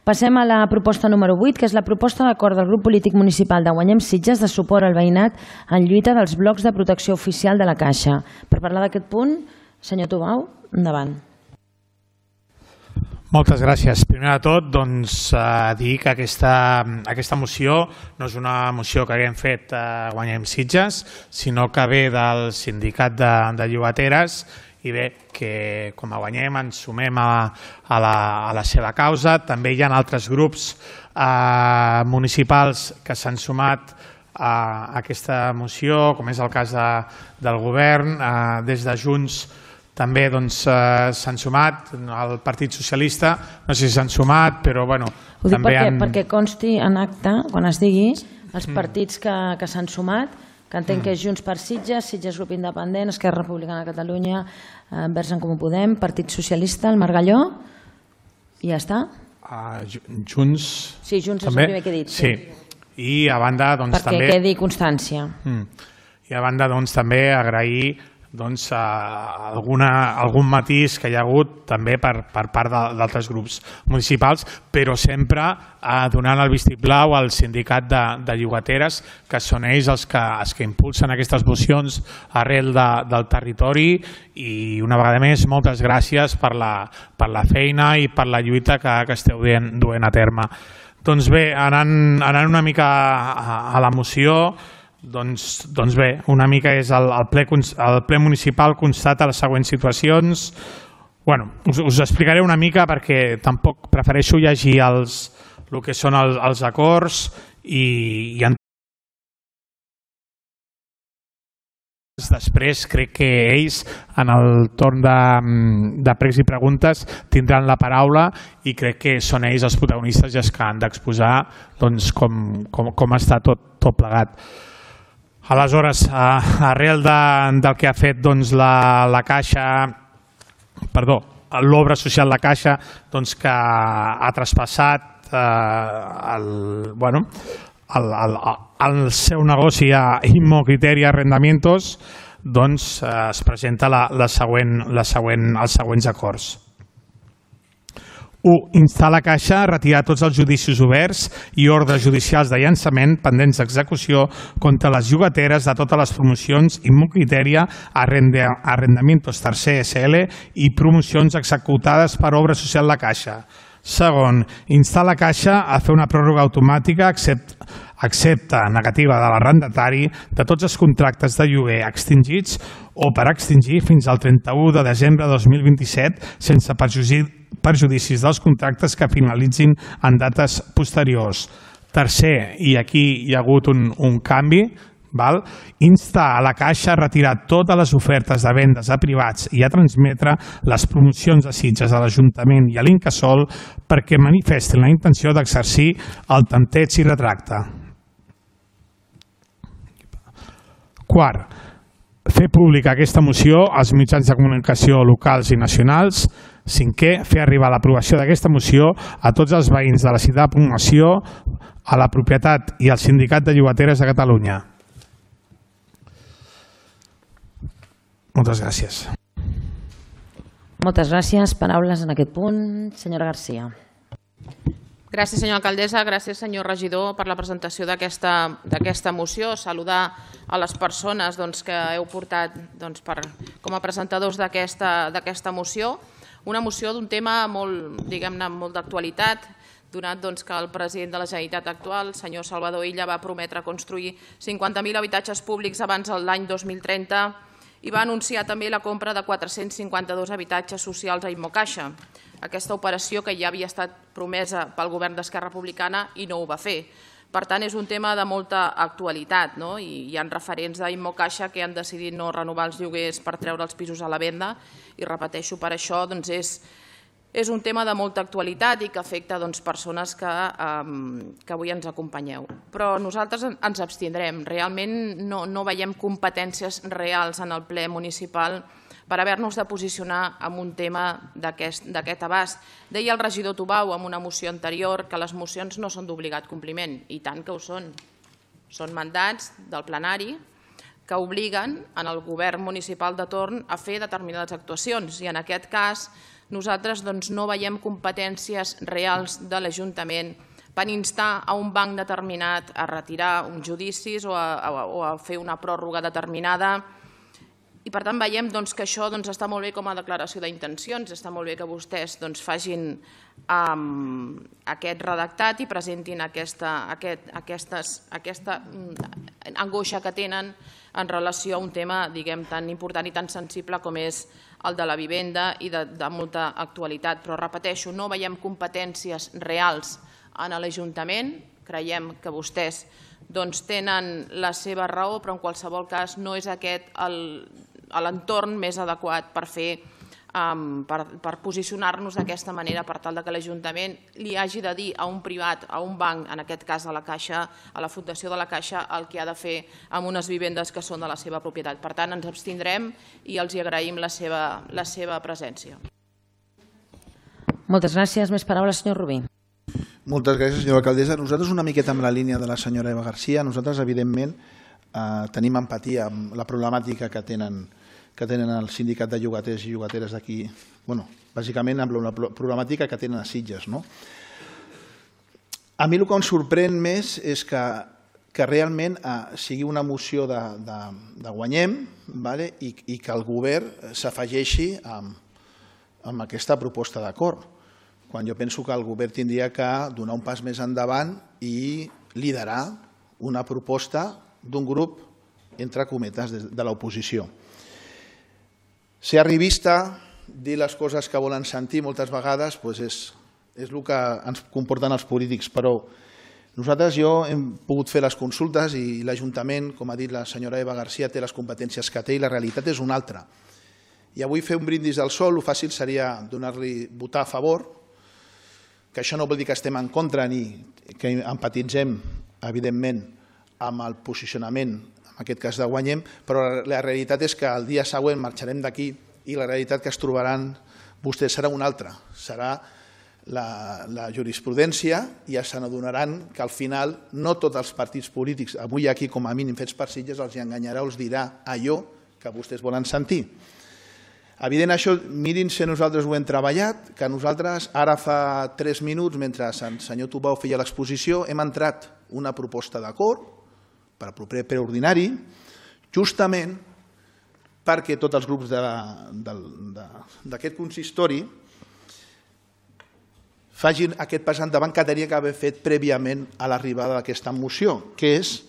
Passem a la proposta número 8, que és la proposta d'acord del grup polític municipal de Guanyem Sitges de suport al veïnat en lluita dels blocs de protecció oficial de la Caixa. Per parlar d'aquest punt, senyor Tubau, endavant. Moltes gràcies. Primer de tot, dir que aquesta moció no és una moció que haguem fet a Guanyem Sitges, sinó que ve del sindicat de llogateres i bé, que com a Guanyem ens sumem a la seva causa. També hi ha altres grups municipals que s'han sumat a aquesta moció, com és el cas del govern. Des de Junts també s'han sumat, el Partit Socialista, no sé si s'han sumat, però bueno... Ho dic perquè consti en acte, quan es digui, els partits que s'han sumat, que entenc que és Junts per Sitges, Sitges Grup Independent, Esquerra Republicana de Catalunya, Verds en Comú Podem, Partit Socialista, el Margalló, i ja està? Junts... Sí, Junts és el primer que he dit. Sí, i a banda també... Perquè quedi constància. I a banda també agrair algun matís que hi ha hagut també per part d'altres grups municipals, però sempre donant el vistiplau al sindicat de llogateres, que són ells els que impulsen aquestes mocions arrel del territori. I una vegada més, moltes gràcies per la feina i per la lluita que esteu duent a terme. Doncs bé, anant una mica a la moció, doncs bé, una mica és el ple municipal constata les següents situacions. Bueno, us explicaré una mica perquè tampoc prefereixo llegir el que són els acords i després crec que ells en el torn de pregs i preguntes tindran la paraula i crec que són ells els protagonistes i els que han d'exposar com està tot plegat. Aleshores, arrel del que ha fet la Caixa, perdó, l'obra social de Caixa, que ha traspassat el seu negoci a Immocriteri Arrendamientos, es presenta els següents acords. 1. Instar la Caixa a retirar tots els judicis oberts i ordres judicials de llançament pendents d'execució contra les llogateres de totes les promocions Immocriteri Arrendamientos Tercer SL i promocions executades per obra social de la Caixa. 2. Instar la Caixa a fer una pròrroga automàtica excepte negativa de l'arrendatari de tots els contractes de lloguer extingits o per extingir fins al 31 de desembre de 2027 sense perjudicis dels contractes que finalitzin en dates posteriors. 3. I aquí hi ha hagut un canvi, instar a la Caixa a retirar totes les ofertes de vendes a privats i a transmetre les promocions de Sitges a l'Ajuntament i a l'Incasòl perquè manifestin la intenció d'exercir el tanteig i retracte. 4. Fer pública aquesta moció als mitjans de comunicació locals i nacionals. 5. Fer arribar l'aprovació d'aquesta moció a tots els veïns de la ciutat de Població, a la propietat i al Sindicat de Llogateres de Catalunya. Moltes gràcies. Moltes gràcies. Paraules en aquest punt. Senyora Garcia. Gràcies, senyora alcaldessa. Gràcies, senyor regidor, per la presentació d'aquesta moció. Saludar a les persones que heu portat com a presentadors d'aquesta moció. Una moció d'un tema molt d'actualitat, donat que el president de la Generalitat actual, el senyor Salvador Illa, va prometre construir 50.000 habitatges públics abans de l'any 2030 i va anunciar també la compra de 452 habitatges socials a Immocaixa. Aquesta operació que ja havia estat promesa pel govern d'Esquerra Republicana i no ho va fer. Per tant, és un tema de molta actualitat i hi ha referents d'Immocaixa que han decidit no renovar els lloguers per treure els pisos a la venda i repeteixo, per això és un tema de molta actualitat i que afecta persones que avui ens acompanyeu. Però nosaltres ens abstindrem. Realment no veiem competències reals en el ple municipal per haver-nos de posicionar en un tema d'aquest abast. Deia el regidor Tubau en una moció anterior que les mocions no són d'obligat compliment, i tant que ho són. Són mandats del plenari que obliguen el govern municipal de torn a fer determinades actuacions i en aquest cas nosaltres no veiem competències reals de l'Ajuntament per instar a un banc determinat a retirar uns judicis o a fer una pròrroga determinada. I per tant veiem que això està molt bé com a declaració d'intencions, està molt bé que vostès facin aquest redactat i presentin aquesta angoixa que tenen en relació a un tema tan important i tan sensible com és el de la vivenda i de molta actualitat. Però repeteixo, no veiem competències reals en l'Ajuntament, creiem que vostès tenen la seva raó, però en qualsevol cas no és aquest l'entorn més adequat per posicionar-nos d'aquesta manera per tal que l'Ajuntament li hagi de dir a un privat, a un banc, en aquest cas a la Caixa, a la Fundació de la Caixa, el que ha de fer amb unes vivendes que són de la seva propietat. Per tant, ens abstindrem i els agraïm la seva presència. Moltes gràcies. Més paraules, senyor Rubí. Moltes gràcies, senyora alcaldessa. Nosaltres una miqueta amb la línia de la senyora Eva García. Nosaltres, evidentment, tenim empatia amb la problemàtica que tenen el sindicat de llogaters i llogateres d'aquí, bàsicament amb la problemàtica que tenen a Sitges. A mi el que em sorprèn més és que realment sigui una moció de guanyem i que el govern s'afegeixi amb aquesta proposta d'acord, quan jo penso que el govern tindria que donar un pas més endavant i liderar una proposta d'un grup, entre cometes, de l'oposició. Ser arribista, dir les coses que volen sentir moltes vegades és el que ens comporten els polítics, però nosaltres hem pogut fer les consultes i l'Ajuntament, com ha dit la senyora Eva García, té les competències que té i la realitat és una altra. I avui fer un brindis al sol, el fàcil seria votar a favor, que això no vol dir que estem en contra ni que empatitzem, evidentment, amb el posicionament, en aquest cas de guanyem, però la realitat és que el dia següent marxarem d'aquí i la realitat que es trobaran vostès serà una altra. Serà la jurisprudència i ja se n'adonaran que al final no tots els partits polítics, avui aquí com a mínim fets per Sitges, els enganyarà o els dirà allò que vostès volen sentir. Evident això, mirin si nosaltres ho hem treballat, que nosaltres ara fa 3 minuts, mentre el senyor Tubau feia l'exposició, hem entrat una proposta d'acord per al proper ple ordinari, justament perquè tots els grups d'aquest consistori facin aquest pas endavant que tenia que haver fet prèviament a l'arribada d'aquesta moció, que és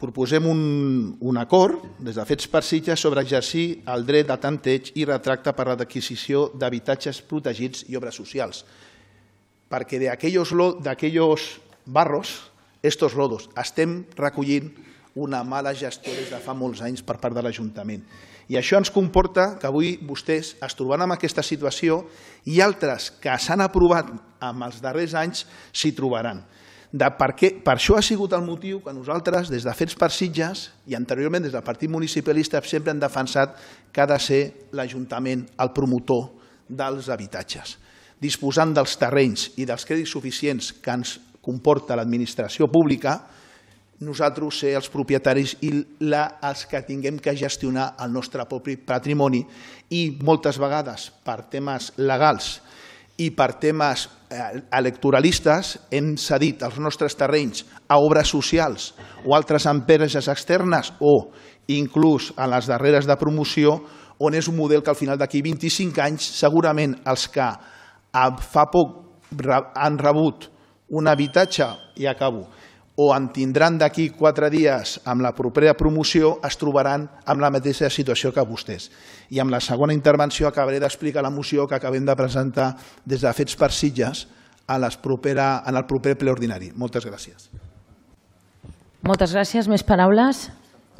proposem un acord des de Fets per Sitges sobre exercir el dret de tanteig i retracte per a l'adquisició d'habitatges protegits i obres socials, perquè d'aquells barros, estos lodos, estem recollint una mala gestió des de fa molts anys per part de l'Ajuntament. I això ens comporta que avui vostès es trobaran en aquesta situació i altres que s'han aprovat en els darrers anys s'hi trobaran. Per això ha sigut el motiu que nosaltres, des de Fets per Sitges i anteriorment des del Partit Municipalista, sempre hem defensat que ha de ser l'Ajuntament el promotor dels habitatges, disposant dels terrenys i dels crèdits suficients que ens comporta l'administració pública, nosaltres ser els propietaris i els que tinguem que gestionar el nostre propi patrimoni i moltes vegades per temes legals i per temes electoralistes hem cedit els nostres terrenys a obres socials o altres empreses externes o inclús a les darreres de promoció, on és un model que al final d'aquí 25 anys segurament els que fa poc han rebut un habitatge, i acabo, o en tindran d'aquí 4 dies amb la propera promoció, es trobaran amb la mateixa situació que vostès. I amb la segona intervenció acabaré d'explicar la moció que acabem de presentar des de Fets per Sitges en el proper ple ordinari. Moltes gràcies. Moltes gràcies. Més paraules?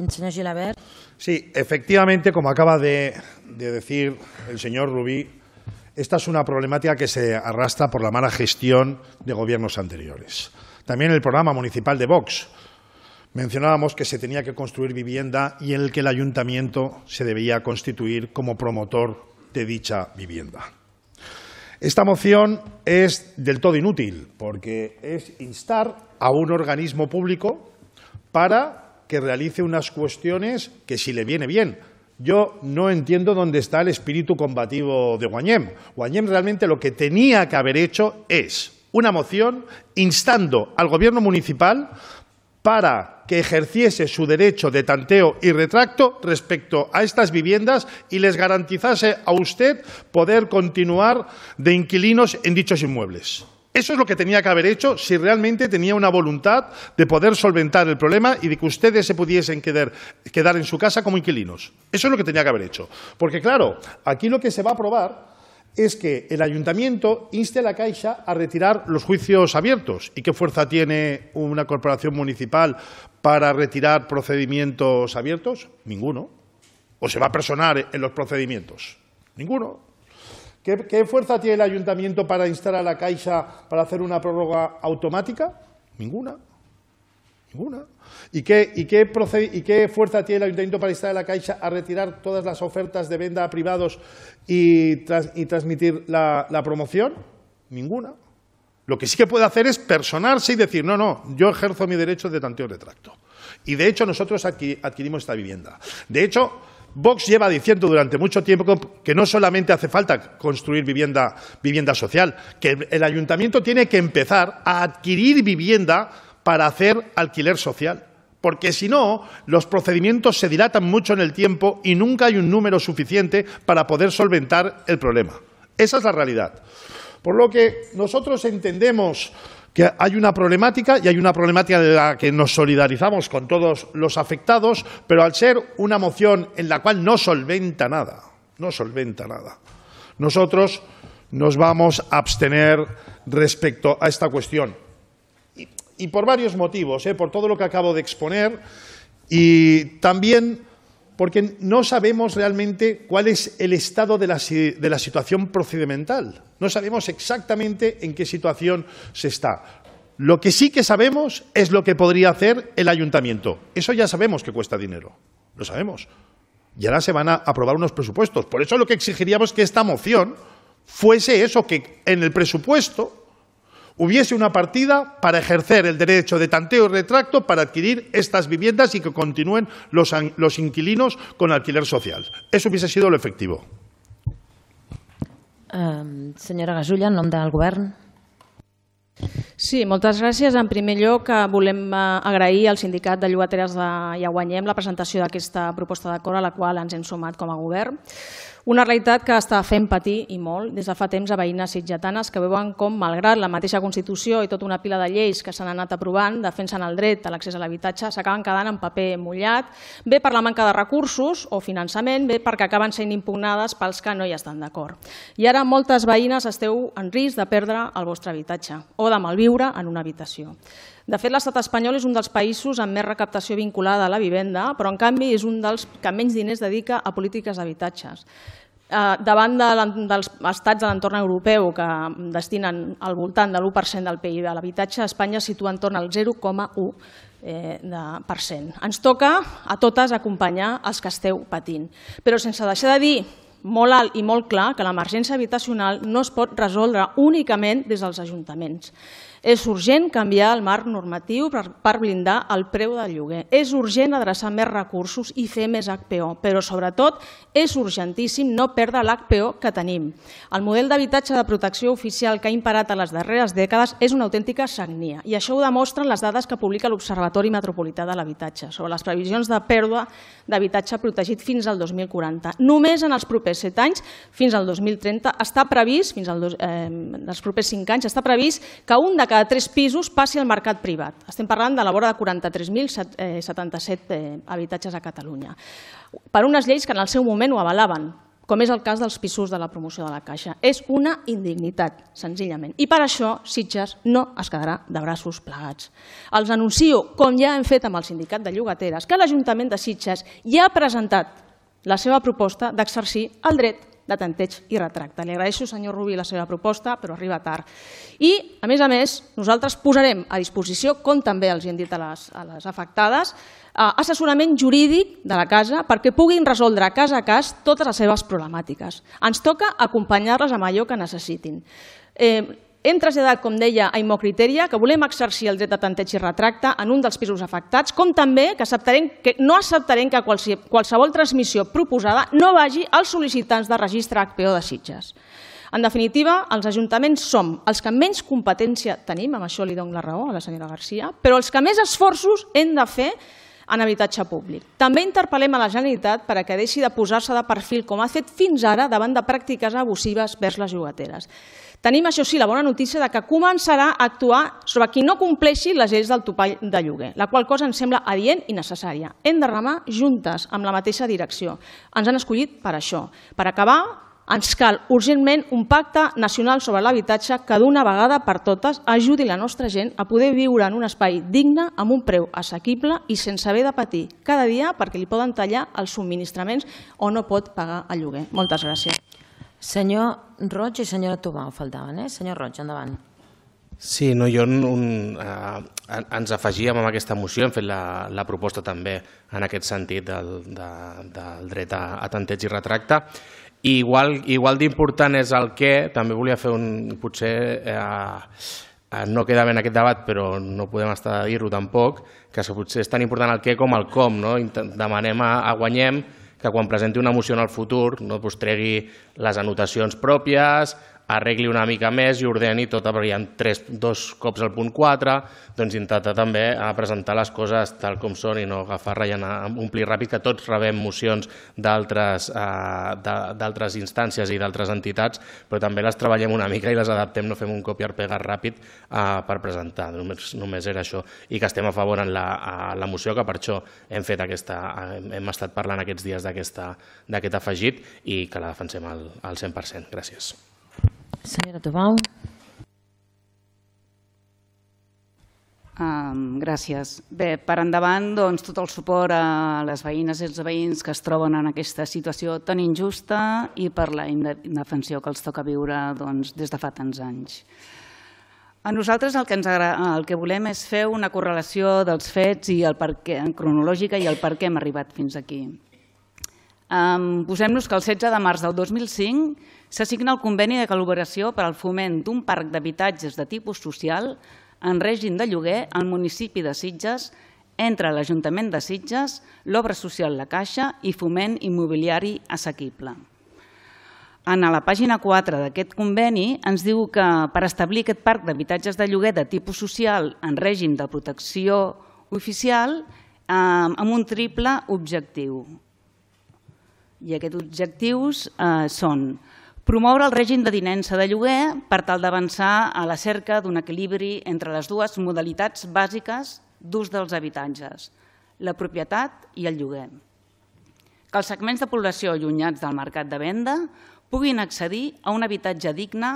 Señor Gilabert. Sí, efectivamente, como acaba de decir el señor Rubí, esta es una problemática que se arrastra por la mala gestión de gobiernos anteriores. También en el programa municipal de Vox mencionábamos que se tenía que construir vivienda y en el que el ayuntamiento se debía constituir como promotor de dicha vivienda. Esta moción es del todo inútil porque es instar a un organismo público para que realice unas cuestiones que, si le viene bien, Yo no entiendo dónde está el espíritu combativo de Guanyem. Guanyem realmente lo que tenía que haber hecho es una moción instando al gobierno municipal para que ejerciese su derecho de tanteo y retracto respecto a estas viviendas y les garantizase a usted poder continuar de inquilinos en dichos inmuebles. Eso es lo que tenía que haber hecho si realmente tenía una voluntad de poder solventar el problema y de que ustedes se pudiesen quedar en su casa como inquilinos. Eso es lo que tenía que haber hecho. Porque, claro, aquí lo que se va a aprobar es que el ayuntamiento inste a la Caixa a retirar los juicios abiertos. ¿Y qué fuerza tiene una corporación municipal para retirar procedimientos abiertos? Ninguno. ¿O se va a personar en los procedimientos? Ninguno. ¿Qué fuerza tiene el ayuntamiento para instar a la Caixa para hacer una prórroga automática? Ninguna. Ninguna. ¿Y qué fuerza tiene el ayuntamiento para instar a la Caixa a retirar todas las ofertas de venta a privados y transmitir la promoción? Ninguna. Lo que sí que puede hacer es personarse y decir, no, yo ejerzo mi derecho de tanteo y retracto. Y de hecho nosotros adquirimos esta vivienda. De hecho, Vox lleva diciendo durante mucho tiempo que no solamente hace falta construir vivienda social, que el ayuntamiento tiene que empezar a adquirir vivienda para hacer alquiler social. Porque si no, los procedimientos se dilatan mucho en el tiempo y nunca hay un número suficiente para poder solventar el problema. Esa es la realidad. Por lo que nosotros entendemos que hay una problemática y hay una problemática de la que nos solidarizamos con todos los afectados, pero al ser una moción en la cual no solventa nada, nosotros nos vamos a abstener respecto a esta cuestión. Y por varios motivos, por todo lo que acabo de exponer y también porque no sabemos realmente cuál es el estado de la situación procedimental. No sabemos exactamente en qué situación se está. Lo que sí que sabemos es lo que podría hacer el ayuntamiento. Eso ya sabemos que cuesta dinero, lo sabemos. Y ahora se van a aprobar unos presupuestos. Por eso lo que exigiríamos es que esta moción fuese eso, que en el presupuesto hubiese una partida para ejercer el derecho de tanteo y retracto para adquirir estas viviendas y que continúen los inquilinos con alquiler social. Eso hubiese sido lo efectivo. Senyora Gasulla, en nom del Govern. Sí, moltes gràcies. En primer lloc, volem agrair al Sindicat de Llogateres de Guanyem la presentació d'aquesta proposta d'acord a la qual ens hem sumat com a govern. Una realitat que està fent patir i molt des de fa temps a veïnes sitgetanes que veuen com, malgrat la mateixa Constitució i tota una pila de lleis que s'han anat aprovant, defensen el dret a l'accés a l'habitatge, s'acaben quedant en paper mullat, bé per la manca de recursos o finançament, bé perquè acaben sent impugnades pels que no hi estan d'acord. I ara moltes veïnes esteu en risc de perdre el vostre habitatge o de malviure en una habitació. De fet, l'estat espanyol és un dels països amb més recaptació vinculada a la vivenda, però en canvi és un dels que menys diners dedica a polítiques d'habitatges. Davant dels estats de l'entorn europeu que destinen al voltant de l'1% del PIB a l'habitatge, Espanya es situa entorn al 0,1%. Ens toca a totes acompanyar els que esteu patint, però sense deixar de dir molt alt i molt clar que l'emergència habitacional no es pot resoldre únicament des dels ajuntaments. És urgent canviar el marc normatiu per blindar el preu del lloguer. És urgent adreçar més recursos i fer més HPO, però sobretot és urgentíssim no perdre l'HPO que tenim. El model d'habitatge de protecció oficial que ha imperat a les darreres dècades és una autèntica sagnia i això ho demostren les dades que publica l'Observatori Metropolità de l'Habitatge sobre les previsions de pèrdua d'habitatge protegit fins al 2040. Només en els propers 7 anys, fins al 2030, està previst, fins als propers 5 anys, està previst que un de cada 3 pisos passi al mercat privat. Estem parlant de la vora de 43.077 habitatges a Catalunya. Per unes lleis que en el seu moment ho avalaven, com és el cas dels pisos de la promoció de la Caixa. És una indignitat, senzillament. I per això Sitges no es quedarà de braços plegats. Els anuncio, com ja hem fet amb el Sindicat de Llogateres, que l'Ajuntament de Sitges ja ha presentat la seva proposta d'exercir el dret de tanteig i retracte. Li agraeixo, senyor Rubí, la seva proposta, però arriba tard. I, a més, nosaltres posarem a disposició, com també els hem dit a les afectades, assessorament jurídic de la casa perquè puguin resoldre cas a cas totes les seves problemàtiques. Ens toca acompanyar-les amb allò que necessitin. Hem traslladat, com deia, a Immocriteria que volem exercir el dret de tanteig i retracte en un dels pisos afectats, com també que no acceptarem que qualsevol transmissió proposada no vagi als sol·licitants de registre HPO de Sitges. En definitiva, els ajuntaments som els que menys competència tenim, amb això li dono la raó a la senyora Garcia, però els que més esforços hem de fer en habitatge públic. També interpel·lem a la Generalitat perquè deixi de posar-se de perfil, com ha fet fins ara, davant de pràctiques abusives vers les llogateres. Tenim, això sí, la bona notícia que començarà a actuar sobre qui no compleixi les lleis del topall de lloguer, la qual cosa ens sembla adient i necessària. Hem de remar juntes, amb la mateixa direcció. Ens han escollit per això. Per acabar, ens cal urgentment un pacte nacional sobre l'habitatge que d'una vegada per totes ajudi la nostra gent a poder viure en un espai digne, amb un preu assequible i sense haver de patir cada dia perquè li poden tallar els subministraments o no pot pagar el lloguer. Moltes gràcies. Senyor Roig i senyora Tubau faltaven, Senyor Roig, endavant. Sí, jo ens afegíem amb aquesta moció, hem fet la proposta també en aquest sentit del dret a tanteig i retracte. I igual d'important és el què, també volia fer potser no queda bé en aquest debat, però no podem estar de dir-ho tampoc, que potser és tan important el què com el com. Demanem a Guanyem que quan presenti una moció en el futur tregui les anotacions pròpies, arregli una mica més i ordeni tot, perquè hi ha dos cops al punt 4, doncs intentar també presentar les coses tal com són i no agafar rellenar, omplir ràpid, que tots rebem mocions d'altres instàncies i d'altres entitats, però també les treballem una mica i les adaptem, no fem un copiar-pegar ràpid per presentar, només era això. I que estem a favor en la moció, que per això hem estat parlant aquests dies d'aquest afegit i que la defensem al 100%. Gràcies. Senyora Tubau. Gràcies. Bé, per endavant, tot el suport a les veïnes i els veïns que es troben en aquesta situació tan injusta i per la indefensió que els toca viure des de fa tants anys. A nosaltres el que volem és fer una correlació dels fets i el cronològica i el per què hem arribat fins aquí. Posem-nos que el 16 de març del 2005 s'assigna el conveni de col·laboració per al foment d'un parc d'habitatges de tipus social en règim de lloguer al municipi de Sitges entre l'Ajuntament de Sitges, l'Obra Social La Caixa i Foment Immobiliari Assequible. En la pàgina 4 d'aquest conveni ens diu que per establir aquest parc d'habitatges de lloguer de tipus social en règim de protecció oficial amb un triple objectiu. I aquests objectius són promoure el règim de tinença de lloguer per tal d'avançar a la cerca d'un equilibri entre les dues modalitats bàsiques d'ús dels habitatges, la propietat i el lloguer. Que els segments de població allunyats del mercat de venda puguin accedir a un habitatge digne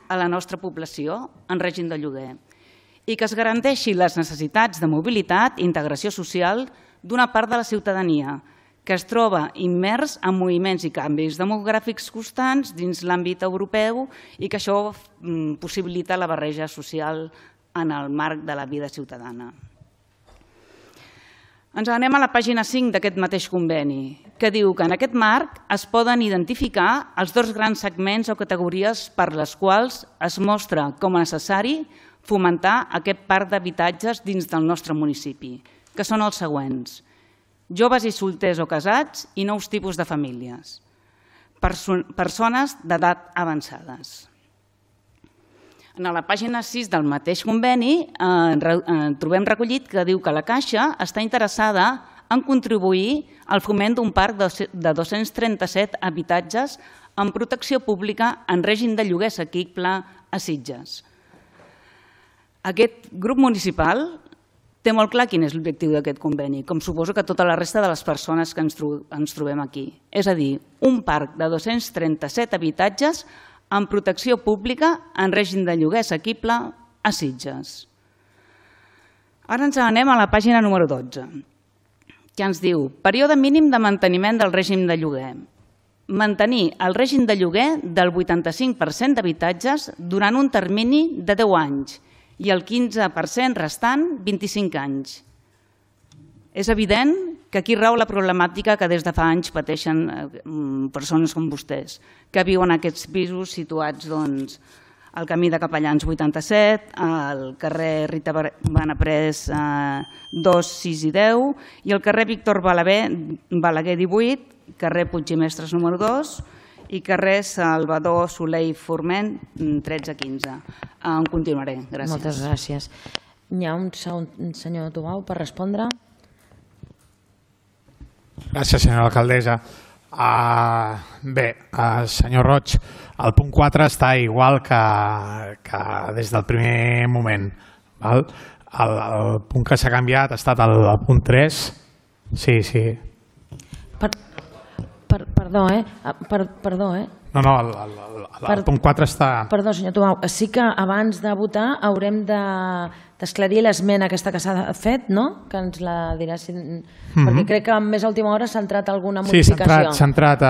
a la nostra població en règim de lloguer i que es garanteixi les necessitats de mobilitat i integració social d'una part de la ciutadania que es troba immers en moviments i canvis demogràfics constants dins l'àmbit europeu i que això possibilita la barreja social en el marc de la vida ciutadana. Ens anem a la pàgina 5 d'aquest mateix conveni, que diu que en aquest marc es poden identificar els dos grans segments o categories per les quals es mostra com a necessari fomentar aquest parc d'habitatges dins del nostre municipi, que són els següents: joves i solters o casats i nous tipus de famílies, persones d'edat avançades. En la pàgina 6 del mateix conveni trobem recollit que diu que la Caixa està interessada en contribuir al foment d'un parc de 237 habitatges en protecció pública en règim de lloguer assequible a Sitges. Aquest grup municipal té molt clar quin és l'objectiu d'aquest conveni, com suposo que tota la resta de les persones que ens trobem aquí. És a dir, un parc de 237 habitatges en protecció pública en règim de lloguer assequible a Sitges. Ara ens anem a la pàgina número 12, que ens diu període mínim de manteniment del règim de lloguer. Mantenir el règim de lloguer del 85% d'habitatges durant un termini de 10 anys i el 15% restant 25 anys. És evident que aquí rau la problemàtica que des de fa anys pateixen persones com vostès, que viuen en aquests pisos situats al camí de Capellans 87, al carrer Rita Benaprés 2, 6 i 10 i al carrer Víctor Balaguer 18, carrer Puig i Mestres número 2 i carrer Salvador Soler i Forment 13 a 15. En continuaré. Gràcies. Moltes gràcies. Hi ha un senyor Tubau per respondre. Gràcies, senyora alcaldessa. Bé, senyor Roig, el punt 4 està igual que des del primer moment. El punt que s'ha canviat ha estat el punt 3. Sí. Perdó, Perdó, No, el punt 4 està... Perdó, senyor Tubau. Sí que abans de votar haurem d'esclarir l'esmena aquesta que s'ha fet, no? Que ens la dirà... Perquè crec que més a última hora s'ha entrat alguna modificació. Sí, s'ha entrat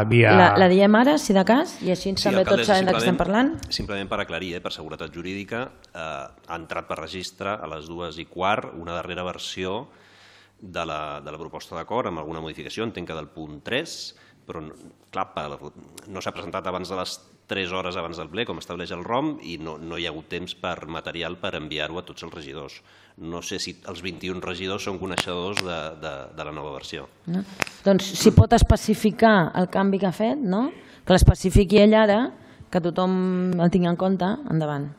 via... La diem ara, si de cas? I així també tots sabem de què estem parlant? Simplement per aclarir, per seguretat jurídica, ha entrat per registre a les 2:15 una darrera versió de la proposta d'acord amb alguna modificació, entenc que del punt 3, però clar, no s'ha presentat abans de les 3 hores abans del ple, com estableix el ROM, i no hi ha hagut temps per material per enviar-ho a tots els regidors. No sé si els 21 regidors són coneixedors de la nova versió. Doncs si pot especificar el canvi que ha fet, no? Que l'especifiqui ell ara, que tothom el tingui en compte, endavant.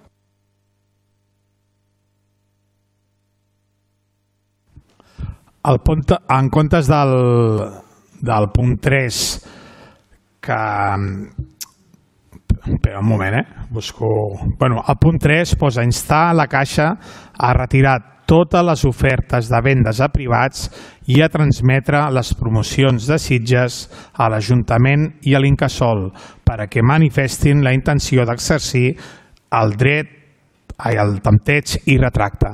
En comptes del punt 3 que... Espera un moment, busco... El punt 3 posa instar la Caixa a retirar totes les ofertes de vendes a privats i a transmetre les promocions de Sitges a l'Ajuntament i a l'Incasòl perquè manifestin la intenció d'exercir el dret al tempteig i retracte.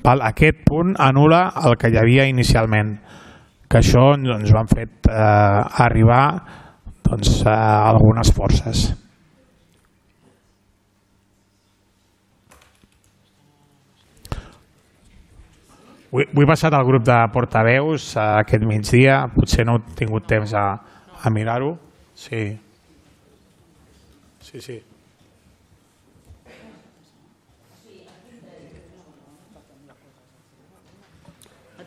Aquest punt anul·la el que hi havia inicialment, que això ens ho han fet arribar algunes forces. Ho he passat al grup de portaveus aquest migdia, potser no he tingut temps a mirar-ho. Sí.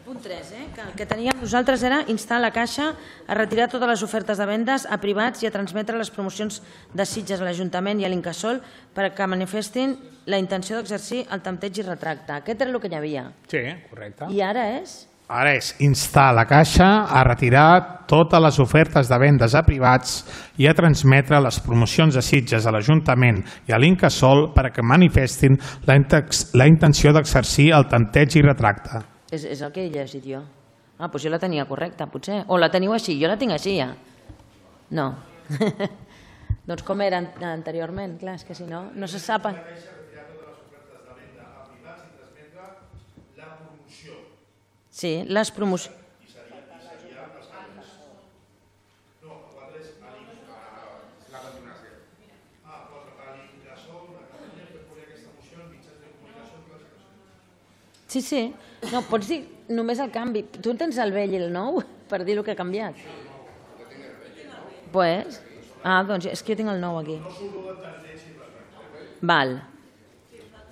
Punt 3, que el que teníem nosaltres era instar la Caixa a retirar totes les ofertes de vendes a privats i a transmetre les promocions de Sitges a l'Ajuntament i a l'Incasòl perquè manifestin la intenció d'exercir el tempteig i retracte. Aquest era el que hi havia. Sí, correcte. I ara és? Ara és instar la Caixa a retirar totes les ofertes de vendes a privats i a transmetre les promocions de Sitges a l'Ajuntament i a l'Incasòl perquè manifestin la intenció d'exercir el tempteig i retracte. És el que he llegit jo. Doncs jo la tenia correcta, potser. O la teniu així, jo la tinc així ja. No. Doncs com era anteriorment? Clar, és que si no, no se sap. Sí, les promocions. Sí. No, pots dir només el canvi. Tu tens el vell i el nou per dir el que ha canviat? Pues, doncs és que jo tinc el nou aquí. Val.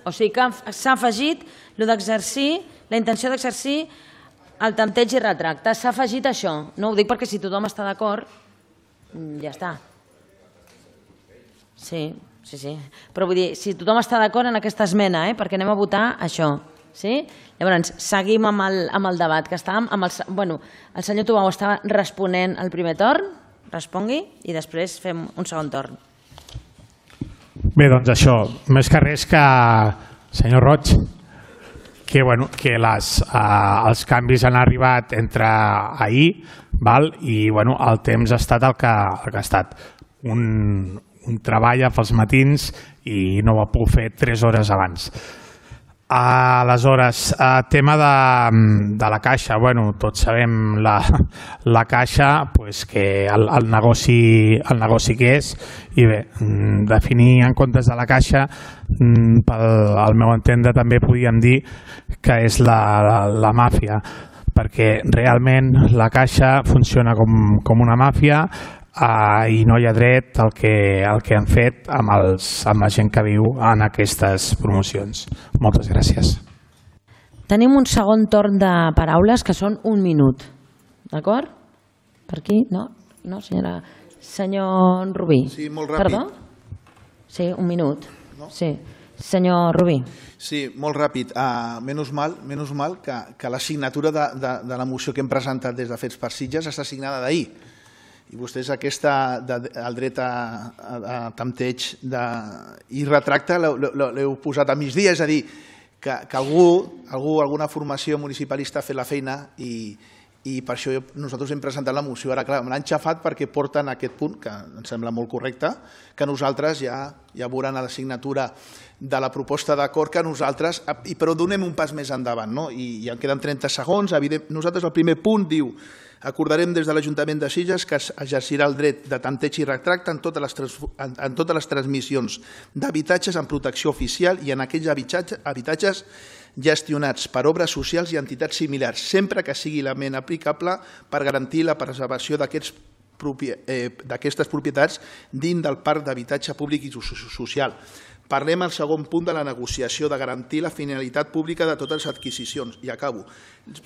O sigui que s'ha afegit la intenció d'exercir el tempteig i retracte. S'ha afegit això. No ho dic perquè si tothom està d'acord, ja està. Sí. Però vull dir, si tothom està d'acord en aquesta esmena, perquè anem a votar això. Sí? Llavors, seguim amb el debat que estàvem. El senyor Tubau estava responent al primer torn, respongui, i després fem un segon torn. Bé, doncs això, més que res que, senyor Roig, que els canvis han arribat entre ahir i el temps ha estat el que ha estat. Un treball als matins i no ho ha pogut fer 3 hores abans. Aleshores, tema de la Caixa, tots sabem la Caixa, que el negoci que és, i bé, definir en comptes de la Caixa, al meu entendre també podríem dir que és la màfia, perquè realment la Caixa funciona com una màfia, i no hi ha dret al que han fet amb la gent que viu en aquestes promocions. Moltes gràcies. Tenim un segon torn de paraules que són 1 minut. D'acord? Per aquí? No, senyora? Senyor Rubí. Sí, molt ràpid. Perdó? Sí, 1 minut. Sí. Senyor Rubí. Sí, molt ràpid. Menys mal que la signatura de la moció que hem presentat des de Fets per Sitges està signada d'ahir. I vostès el dret a tempteig i retracte l'heu posat a migdia, és a dir, que alguna formació municipalista ha fet la feina i per això nosaltres hem presentat la moció. Ara, clar, me l'han xafat perquè porten aquest punt, que em sembla molt correcte, que nosaltres ja veuran a la signatura de la proposta d'acord que nosaltres, però donem un pas més endavant, no? I ja en queden 30 segons. Nosaltres el primer punt diu: acordarem des de l'Ajuntament de Sitges que exercirà el dret de tanteig i retracte en totes les transmissions d'habitatges en protecció oficial i en aquells habitatges gestionats per obres socials i entitats similars, sempre que sigui l'element aplicable per garantir la preservació d'aquestes propietats dins del parc d'habitatge públic i social. Parlem al segon punt de la negociació, de garantir la finalitat pública de totes les adquisicions. I acabo.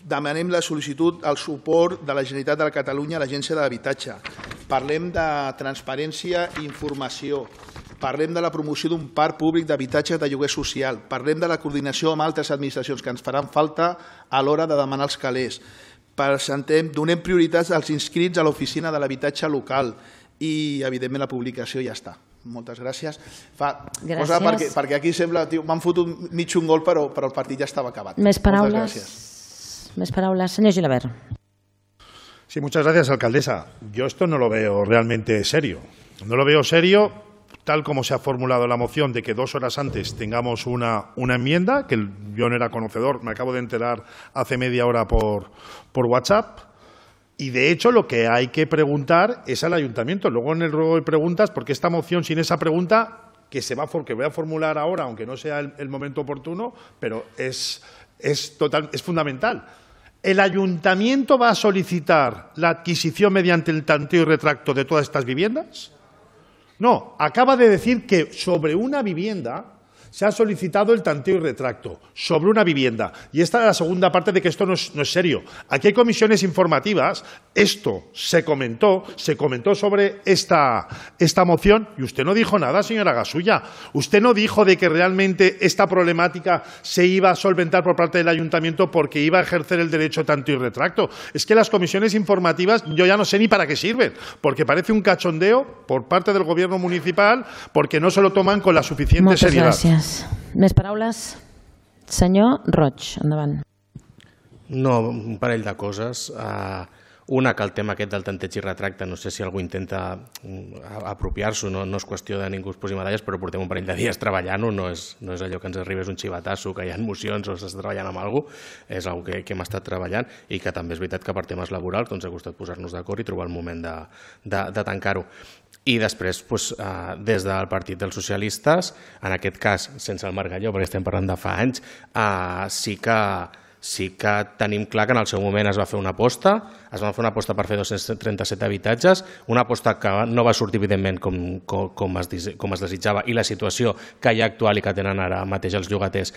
Demanem la sol·licitud al suport de la Generalitat de Catalunya a l'Agència de l'Habitatge. Parlem de transparència i informació. Parlem de la promoció d'un parc públic d'habitatge de lloguer social. Parlem de la coordinació amb altres administracions que ens faran falta a l'hora de demanar els calés. Donem prioritats als inscrits a l'oficina de l'habitatge local i, evidentment, la publicació ja està. Moltes gràcies. Gràcies. Perquè aquí sembla que m'han fotut mig un gol, però el partit ja estava acabat. Més paraules. Señor Gilabert. Sí, muchas gracias, alcaldesa. Yo esto no lo veo realmente serio. No lo veo serio, tal como se ha formulado la moción de que 2 horas antes tengamos una enmienda, que yo no era conocedor, me acabo de enterar hace media hora por WhatsApp. Y, de hecho, lo que hay que preguntar es al ayuntamiento. Luego en el ruego de preguntas, porque esta moción sin esa pregunta, que voy a formular ahora, aunque no sea el momento oportuno, pero es fundamental. ¿El ayuntamiento va a solicitar la adquisición mediante el tanteo y retracto de todas estas viviendas? No, acaba de decir que sobre una vivienda se ha solicitado el tanteo y retracto sobre una vivienda. Y esta es la segunda parte de que esto no es serio. Aquí hay comisiones informativas. Esto se comentó sobre esta moción y usted no dijo nada, señora Gasulla. Usted no dijo de que realmente esta problemática se iba a solventar por parte del ayuntamiento porque iba a ejercer el derecho a tanteo y retracto. Es que las comisiones informativas yo ya no sé ni para qué sirven, porque parece un cachondeo por parte del gobierno municipal porque no se lo toman con la suficiente seriedad. Gràcies. Més paraules? Senyor Roig, endavant. No, un parell de coses. Una, que el tema aquest del tanteig i retracte, no sé si algú intenta apropiar-s'ho, no és qüestió de ningú es posi medalles, però portem un parell de dies treballant-ho, no és allò que ens arribés un xivatasso, que hi ha mocions o s'està treballant amb alguna cosa, és una cosa que hem estat treballant i que també és veritat que per temes laborals doncs ha costat posar-nos d'acord i trobar el moment de tancar-ho. I després, des del Partit dels Socialistes, en aquest cas, sense el Margalló, perquè estem parlant de fa anys, sí que tenim clar que en el seu moment es va fer una aposta, per fer 237 habitatges, una aposta que no va sortir, evidentment, com es desitjava, i la situació que hi ha actual i que tenen ara mateix els llogaters,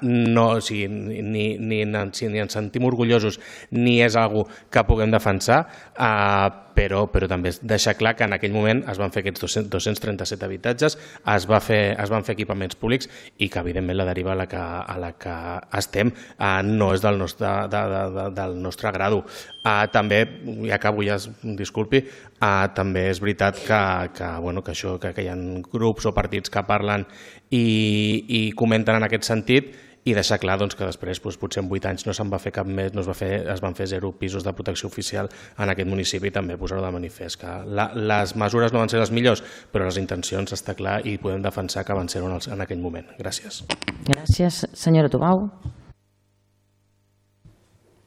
ni ens sentim orgullosos ni és una cosa que puguem defensar, però també deixar clar que en aquell moment es van fer aquests 237 habitatges, es van fer equipaments públics i que, evidentment, la deriva a la que estem no és del nostre grado. També, i acabo ja, disculpi, també és veritat que hi ha grups o partits que parlen i comenten en aquest sentit, i deixar clar que després, potser en 8 anys no se'n va fer cap més, es van fer 0 pisos de protecció oficial en aquest municipi, i també posar-ho de manifest, que les mesures no van ser les millors, però les intencions està clar i podem defensar que van ser en aquell moment. Gràcies. Gràcies. Senyora Tubau.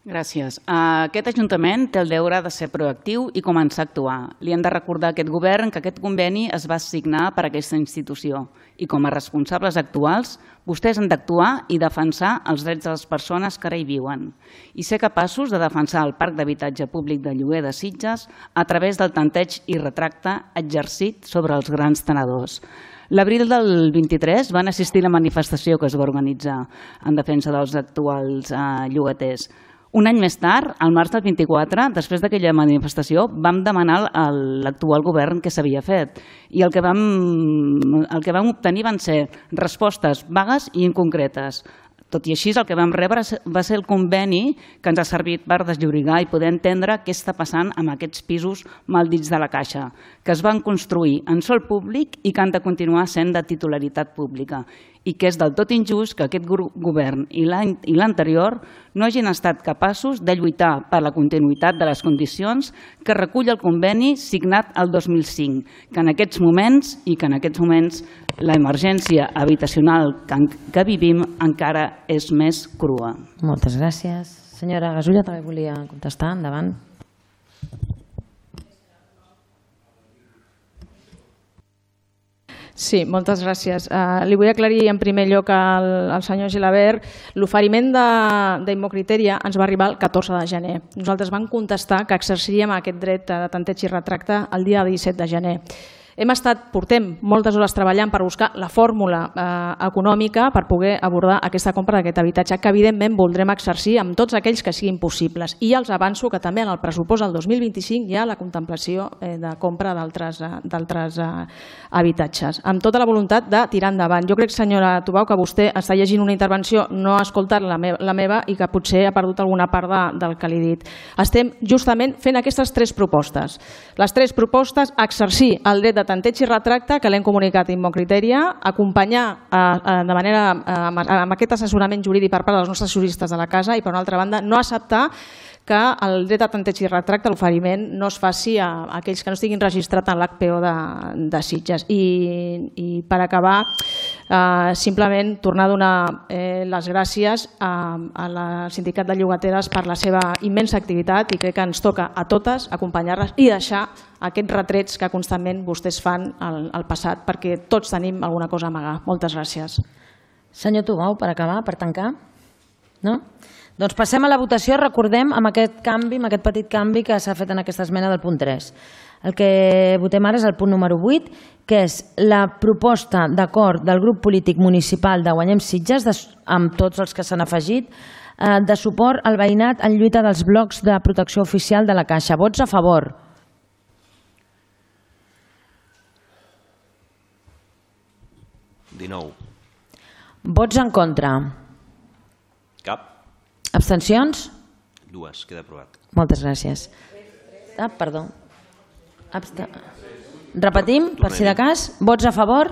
Gràcies. Aquest Ajuntament té el deure de ser proactiu i començar a actuar. Li hem de recordar a aquest govern que aquest conveni es va signar per a aquesta institució i com a responsables actuals vostès han d'actuar i defensar els drets de les persones que ara hi viuen i ser capaços de defensar el parc d'habitatge públic de lloguer de Sitges a través del tanteig i retracte exercit sobre els grans tenedors. L'abril del 23 van assistir a la manifestació que es va organitzar en defensa dels actuals llogaters. Un any més tard, al març del 24, després d'aquella manifestació, vam demanar a l'actual govern què s'havia fet. I el que vam obtenir van ser respostes vagues i inconcretes. Tot i així, el que vam rebre va ser el conveni que ens ha servit per desllorigar i poder entendre què està passant amb aquests pisos maldits de la Caixa, que es van construir en sòl públic i que han de continuar sent de titularitat pública i que és del tot injust que aquest govern i l'anterior no hagin estat capaços de lluitar per la continuïtat de les condicions que recull el conveni signat el 2005, que en aquests moments l'emergència habitacional que vivim encara és més crua. Moltes gràcies. Senyora Gasulla també volia contestar. Endavant. Sí, moltes gràcies. Li vull aclarir en primer lloc al senyor Gilabert. L'oferiment d'Immocriteria ens va arribar el 14 de gener. Nosaltres vam contestar que exerciríem aquest dret de tanteig i retracte el dia 17 de gener. Portem moltes hores treballant per buscar la fórmula econòmica per poder abordar aquesta compra d'aquest habitatge, que evidentment voldrem exercir amb tots aquells que siguin possibles. I ja els avanço que també en el pressupost del 2025 hi ha la contemplació de compra d'altres habitatges, amb tota la voluntat de tirar endavant. Jo crec, senyora Tubau, que vostè està llegint una intervenció, no ha escoltat la meva i que potser ha perdut alguna part del que li he dit. Estem justament fent aquestes tres propostes. Les tres propostes: exercir el dret de tanteig i retracte, que l'hem comunicat a Immocriteria, acompanyar amb aquest assessorament jurídic per part dels nostres juristes de la casa i, per una altra banda, no acceptar que el dret de tanteig i retracte, l'oferiment, no es faci a aquells que no estiguin registrats en l'HPO de Sitges. I per acabar, simplement tornar a donar les gràcies al Sindicat de Llogateres per la seva immensa activitat, i crec que ens toca a totes acompanyar-les i deixar aquests retrets que constantment vostès fan al passat, perquè tots tenim alguna cosa a amagar. Moltes gràcies. Senyor Tubau, per acabar, per tancar? No? Doncs passem a la votació. Recordem amb aquest petit canvi que s'ha fet en aquesta esmena del punt 3. El que votem ara és el punt número 8, que és la proposta d'acord del grup polític municipal de Guanyem Sitges, amb tots els que s'han afegit, de suport al veïnat en lluita dels blocs de protecció oficial de la Caixa. Vots a favor? Vots en contra? Cap. Abstencions? 2. Queda aprovat. Moltes gràcies. Perdó. Repetim, per si de cas. Vots a favor?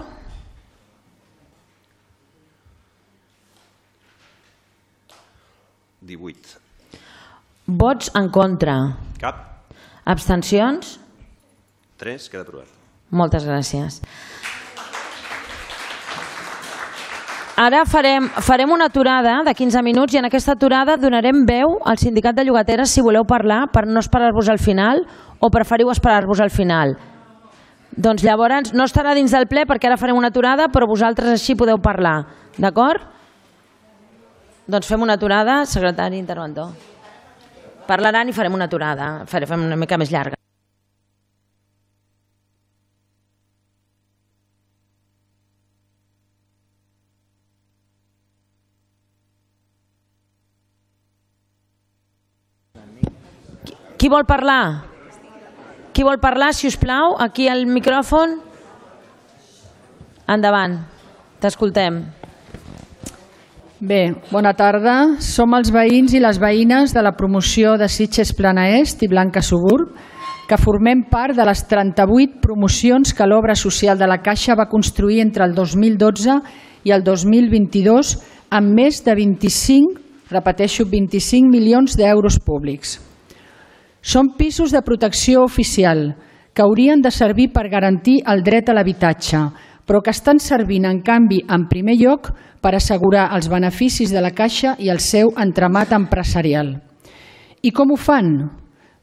Vots en contra? Cap. Abstencions? 3. Queda aprovat. Moltes gràcies. Ara farem una aturada de 15 minuts i en aquesta aturada donarem veu al Sindicat de Llogateres si voleu parlar, per no esperar-vos al final, o preferiu esperar-vos al final. Doncs llavors no estarà dins del ple perquè ara farem una aturada, però vosaltres així podeu parlar. D'acord? Doncs fem una aturada, secretari interventor. Parlaran i farem una aturada, farem una mica més llarga. Qui vol parlar? Qui vol parlar, si us plau? Aquí al micròfon. Endavant, t'escoltem. Bé, bona tarda. Som els veïns i les veïnes de la promoció de Sitges Plana Est i Blanca Suburb, que formem part de les 38 promocions que l'obra social de la Caixa va construir entre el 2012 i el 2022 amb més de 25 milions d'euros públics. Són pisos de protecció oficial que haurien de servir per garantir el dret a l'habitatge, però que estan servint, en canvi, en primer lloc, per assegurar els beneficis de la Caixa i el seu entramat empresarial. I com ho fan?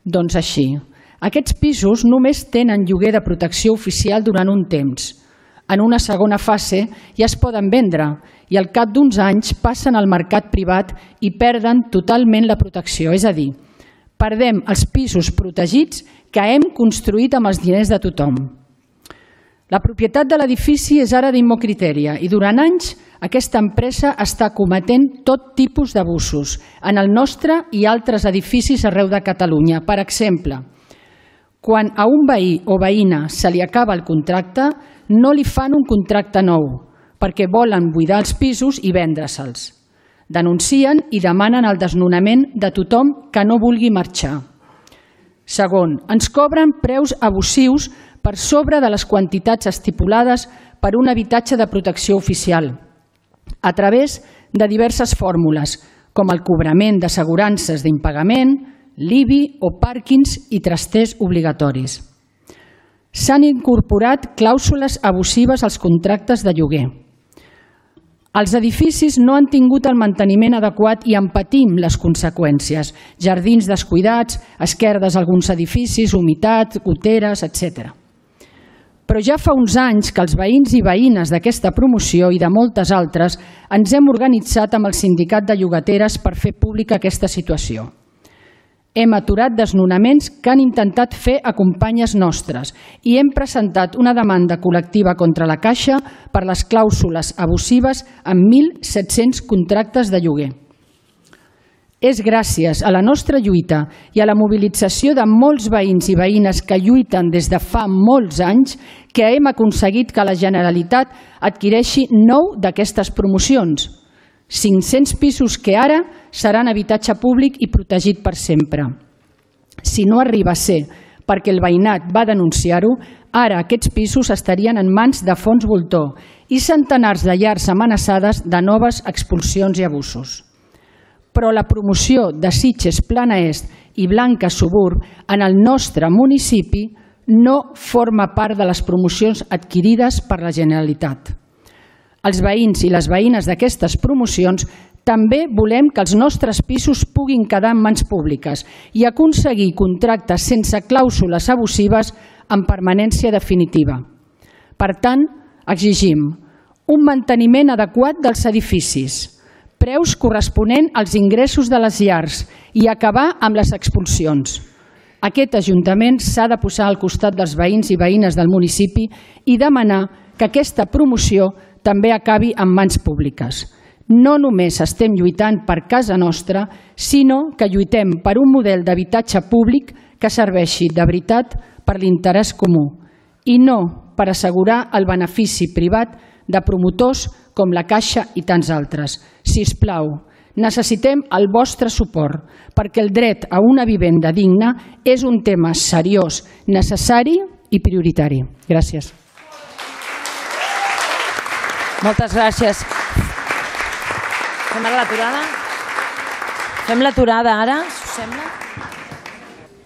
Doncs així. Aquests pisos només tenen lloguer de protecció oficial durant un temps. En una segona fase ja es poden vendre i al cap d'uns anys passen al mercat privat i perden totalment la protecció. És a dir, perdem els pisos protegits que hem construït amb els diners de tothom. La propietat de l'edifici és ara d'Immocritèria i durant anys aquesta empresa està cometent tot tipus d'abusos en el nostre i altres edificis arreu de Catalunya. Per exemple, quan a un veí o veïna se li acaba el contracte, no li fan un contracte nou, perquè volen buidar els pisos i vendre-se'ls. Denuncien i demanen el desnonament de tothom que no vulgui marxar. Segon, ens cobren preus abusius per sobre de les quantitats estipulades per un habitatge de protecció oficial, a través de diverses fórmules, com el cobrament d'assegurances d'impagament, l'IBI o pàrquings i trasters obligatoris. S'han incorporat clàusules abusives als contractes de lloguer. Els edificis no han tingut el manteniment adequat i en patim les conseqüències. Jardins descuidats, esquerdes a alguns edificis, humitat, goteres, etc. Però ja fa uns anys que els veïns i veïnes d'aquesta promoció i de moltes altres ens hem organitzat amb el sindicat de llogateres per fer pública aquesta situació. Hem aturat desnonaments que han intentat fer a companyes nostres i hem presentat una demanda col·lectiva contra la Caixa per les clàusules abusives en 1.700 contractes de lloguer. És gràcies a la nostra lluita i a la mobilització de molts veïns i veïnes que lluiten des de fa molts anys que hem aconseguit que la Generalitat adquireixi 9 d'aquestes promocions. 500 pisos que ara seran habitatge públic i protegit per sempre. Si no arriba a ser perquè el veïnat va denunciar-ho, ara aquests pisos estarien en mans de fons voltor i centenars de llars amenaçades de noves expulsions i abusos. Però la promoció de Sitges Plana Est i Blanca Suburb en el nostre municipi no forma part de les promocions adquirides per la Generalitat. Els veïns i les veïnes d'aquestes promocions també volem que els nostres pisos puguin quedar en mans públiques i aconseguir contractes sense clàusules abusives amb permanència definitiva. Per tant, exigim un manteniment adequat dels edificis, preus corresponents als ingressos de les llars i acabar amb les expulsions. Aquest Ajuntament s'ha de posar al costat dels veïns i veïnes del municipi i demanar que aquesta promoció també acabi en mans públiques. No només estem lluitant per casa nostra, sinó que lluitem per un model d'habitatge públic que serveixi de veritat per l'interès comú i no per assegurar el benefici privat de promotors com la Caixa i tants altres. Sisplau, necessitem el vostre suport perquè el dret a una vivenda digna és un tema seriós, necessari i prioritari. Gràcies. Moltes gràcies. Fem ara l'aturada? Fem l'aturada ara, si us sembla?